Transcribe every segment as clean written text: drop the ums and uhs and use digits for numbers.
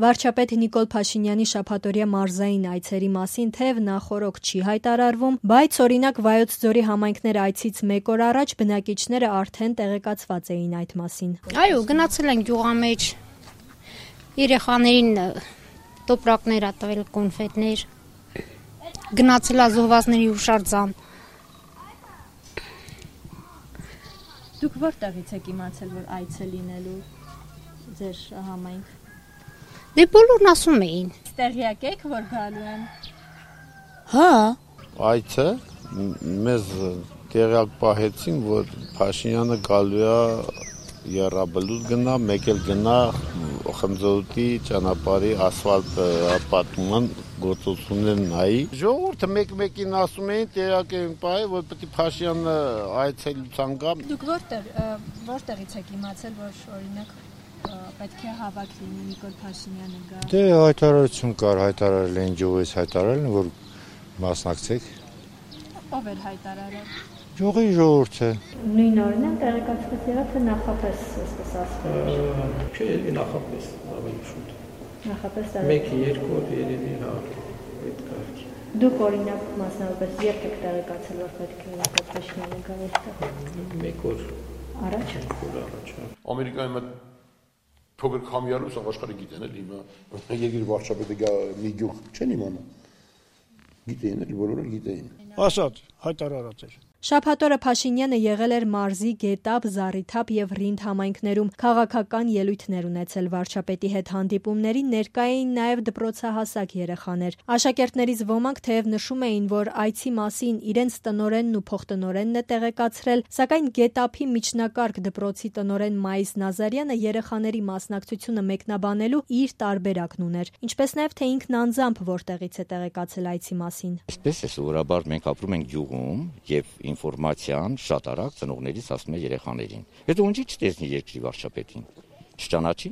Վարչապետ Նիկոլ Փաշինյանի շաբաթօրյա մարզային այցերի մասին թեև նախօրոք չի հայտարարվում, բայց օրինակ Վայոց ձորի համայնքներ այցից մեկ օր առաջ բնակիչները արդեն տեղեկացված էին այդ մասին։ Այո, գնացել ենք գյուղամեջ, երեխաներին տոպրակներ ա տվել, կոնֆետներ, գնացել ա զոհվածների հուշարձան։ Դուք որտեղից եք իմացել, որ այց է լինելու ձեր համայնք։ Դե բոլորն ասում էին։ Տեղյակ եք, որ գալու են։ Հա։ Այցը մեզ տեղյակ պահեցին, որ Փաշինյանը գալու է Եռաբլուր գնա, մեկ էլ գնա Խնձորի ճանապարհի ասֆալտ պատման գործողություններ նայի։ Ժողովուրդը մեկ-մեկին ասում էին, տեղյակ էին պահել, որ պետք է Փաշինյանը այցելության գա։ Դուք որտեղից եք իմացել, որ օրինակ պետք է հավաք լինի Նիկոլ Փաշինյանը գա։ Դե հայտարարություն կար, հայտարարել էին ջողից հայտարարել, որ մասնակցեք։ Ով էր հայտարարել։ Ջողի ժողովուրդը։ Նույն օրն են տեղեկացված եղավ, թե նախապես այսպես ասվել է։ Չէ, նախապես ավելի շուտ։ Նախապես 1-2 օր երևի հա այդ կարգի։ Դուք օրինակ մասնավորապես երբ եք տեղեկացել, որ պետք է Նիկոլ Փաշինյանը գա այստեղ։ 1 օր Առաջ։ Ամերիկայում փոքր քամիարուս աշխարհը գիտեն էլ հիմա երկրի վարչապետը գա մի գյուղ չեն իմանա։ Գիտեին էլ բոլորը գիտեին։ Ասած հայտարարած էր։ Շաբաթօրը Փաշինյանը եղել էր Մարզի, Գետապ, Զառիթափ եւ Ռինդ համայնքներում քաղաքական ելույթներ ունեցել վարչապետի հետ հանդիպումներին ներկա էին նաեւ դպրոցահասակ երեխաներ։ Աշակերտներից ոմանք թեև նշում էին, որ այցի մասին իրենց տնօրենն ու փոխտնօրենն է տեղեկացրել, սակայն Գետապի միջնակարգ դպրոցի տնօրեն Մայիս Նազարյանը երեխաների մասնակցությունը մեկնաբանելու իր տարբերակն ուներ, ինչպես նաեւ թե ինքն անձամբ որտեղից է տեղեկացել այցի մասին։ Այսպես է սովորաբար մենք ապրում ենք գյուղում եւ ինֆորմացիան շատ արագ ծնողներից ասում է երեխաներին։ Հետո ոնց չտեսնի երկրի վարչապետին։ Չճանաչի։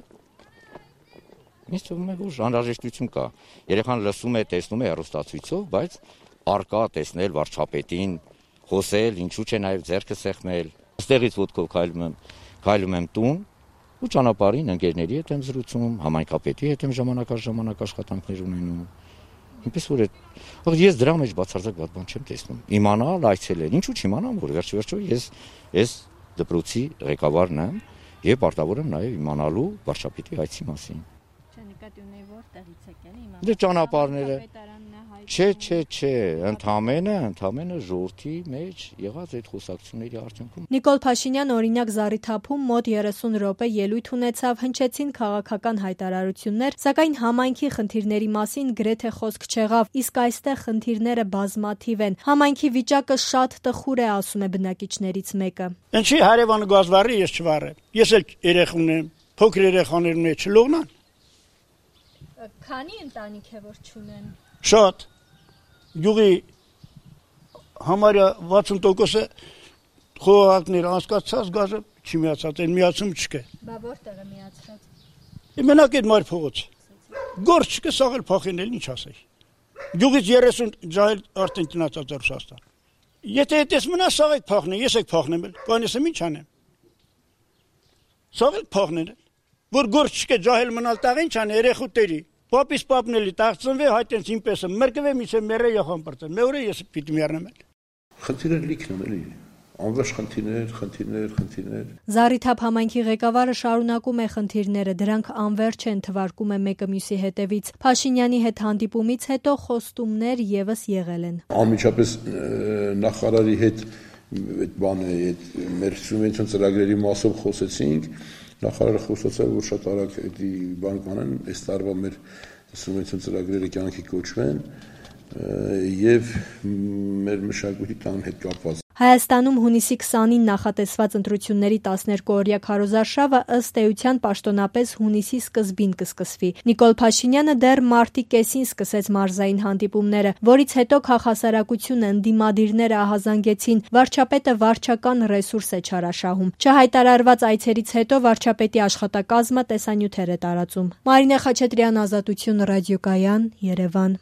Ինձ թվում է, որ անհրաժեշտություն կա։ Երեխան լսում է, տեսնում է հեռուստացույցով, բայց արկա տեսնել վարչապետին, խոսել, ինչու՞ չէ նաև ձեռքը սեղմել։ Այստեղից ոտքով քայլում եմ տուն ու ճանապարհին ընկերների հետ եմ զրուցում, համայնքապետի հետ եմ ժամանակ աշխատանքներ ունենում։ Ինչպես որ ես դրա մեջ բացարձակ ված բան չեմ տեսնում։ Իմանալ այցելել, ինչու՞ չիմանամ, որ վերջ-վերջո ես դպրոցի ղեկավարն եմ եւ պարտավոր եմ նաեւ իմանալու վարչապետի այցի մասին։ Չէ, նկատի ունեի որտեղից եք ել իմանալ։ Դե ճանապարհները։ Չէ, ընդամենը ժողովրդի մեջ եղած այդ խոսակցությունների արդյունքում։ Նիկոլ Փաշինյանը օրինակ Զառիթափում մոտ 30 րոպե ելույթ ունեցավ, հնչեցին քաղաքական հայտարարություններ, սակայն համայնքի խնդիրների մասին գրեթե խոսք չեղավ, իսկ այստեղ խնդիրները բազմաթիվ են։ Համայնքի վիճակը շատ տխուր է, ասում է բնակիչներից մեկը։ Ինչի հարևանը գազ վառի, ես չվառեմ։ Ես էլ երեխա ունեմ, փոքր երեխաներ ունեմ, չլողնան։ Քանի ընտանիք է որ չունեն։ Շատ Գյուղի համարյա 60%-ը խոհակներ անցկացած գազը չի միացած, այն միացում չկա։ Բա որտեղ է միացած։ Մենակ այդ մայր փողոց։ Գործ չկա, սաղել փոխինել, ինչ ասեի։ Գյուղից 30 ջահել արդեն տնացած է Ռուսաստան։ Եթե այդպես մնա, սաղել փոխնե, ես եք փոխնեմ էլ, կանեսեմ ինչ անեմ։ Սաղել փոխնել, որ գործ չկա, ջահել մնալ տաղ ինչ ան երեխուտերի։ Պապիս պապնելի տաղծնվե հայտենց ինպես եմ, մրկվե միցե մերը յոխան պրծեն, մե որը ես պիտի միարնեմ էլ։ Խնդիրներ լիքն են էլի, անվերջ խնդիրներ։ Զառիթափ համայնքի ղեկավարը շարունակում է խնդիրները, դրանք անվերջ են, թվարկում է մեկը մյուսի հետևից։ Փաշինյանի հետ հանդիպումից հետո խոստումներ եւս եղել են։ Անմիջապես նախարարի հետ այդ բանը, այդ մեր սուբվենցիոն ծրագրերի մասով խոսեցինք, նախարարը խոսացավ, որ շատ արագ այդ բան կանեն, այս տարվա մեր սուբվենցիոն ծրագրերը կյանքի կոչվեն եւ մեր մշակույթի տան հետ կապված։ Հայաստանում հունիսի 20-ին նախատեսված ընտրությունների 12-օրյա քարոզարշավը ըստ էության պաշտոնապես հունիսի սկզբին կսկսվի։ Նիկոլ Փաշինյանը դեռ մարտի կեսին սկսեց մարզային հանդիպումները, որից հետո քաղաքասարակությունը ընդդիմադիրները ահազանգեցին, վարչապետը վարչական ռեսուրս է չարաշահում։ Չհայտարարված այցերից հետո վարչապետի աշխատակազմը տեսանյութեր է տարածում։ Մարինե Խաչատրյան, Ազատություն ռադիոկայան, Երևան։